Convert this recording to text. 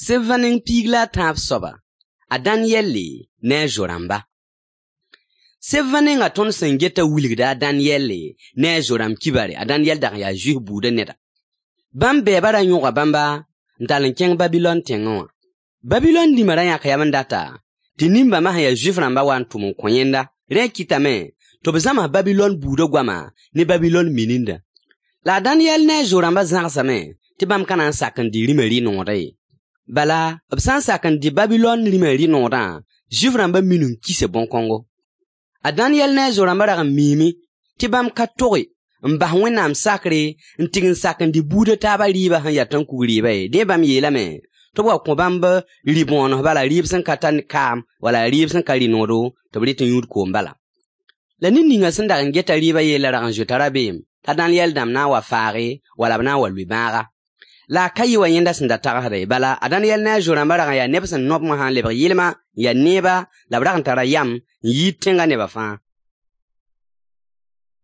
Seb neng piig la a tãab soaba, a Daniyɛlle ne a zo-rãmba. Seb nengã tõnd sẽn geta wilgda a Daniyɛlle ne a zo-rãmb kibare. A Daniyɛl dag n yaa Zuif buudã neda. Bãmb bɛɛba ra yõga bãmba n tall n kẽng Babilɔn tẽngẽ wã. Babilɔn dĩmã ra yãka yam n data tɩ nin-bãmbã sẽn yaa Zuif-rãmbã wa n tʋm n kõ yẽnda. Rẽ kɩtame tɩ b zãms Babilɔn buudã goama ne Babilɔn minindã. La a Daniyɛl ne a zo-rãmbã zãgsame tɩ bãmb ka na n sak n dɩ rĩmã rɩ-noodã ye. Bala, b sã n sak n dɩ Babilɔn rĩmã rɩ-noodã, Zuif-rãmbã minim kisa bõn-kõngo. A Daniyɛl ne a zo-rãmbã rag n miime tɩ bãmb ka toge n bas Wẽnnaam sakre n tɩg n sak n dɩ buud a taabã rɩɩbã sẽn ya tãn-kug rɩɩbã ye. Dẽ bãmb yeelame tɩ b wa kõ bãmb rɩ-bõones bala, rɩɩb sẽn ka tar kaam wala rɩɩb sẽn ka rɩ-noodo tɩ b rɩt n yũud koom bala. La ned ninga sẽn dag n geta rɩɩbã yellã rag n zoeta rabeem t'a Daniyɛl dãmb na n wa faage wala b na n wa lʋɩ bãaga. La a ka yɩ wa yẽnda sẽn da tagsdã ye. Bala, a Daniyɛl ne a zo-rãmbã rag n yaa neb sẽn nob wã n lebg yɩlma n yaa neeba la b rag n tara yam n yiid tẽngã nebã fãa.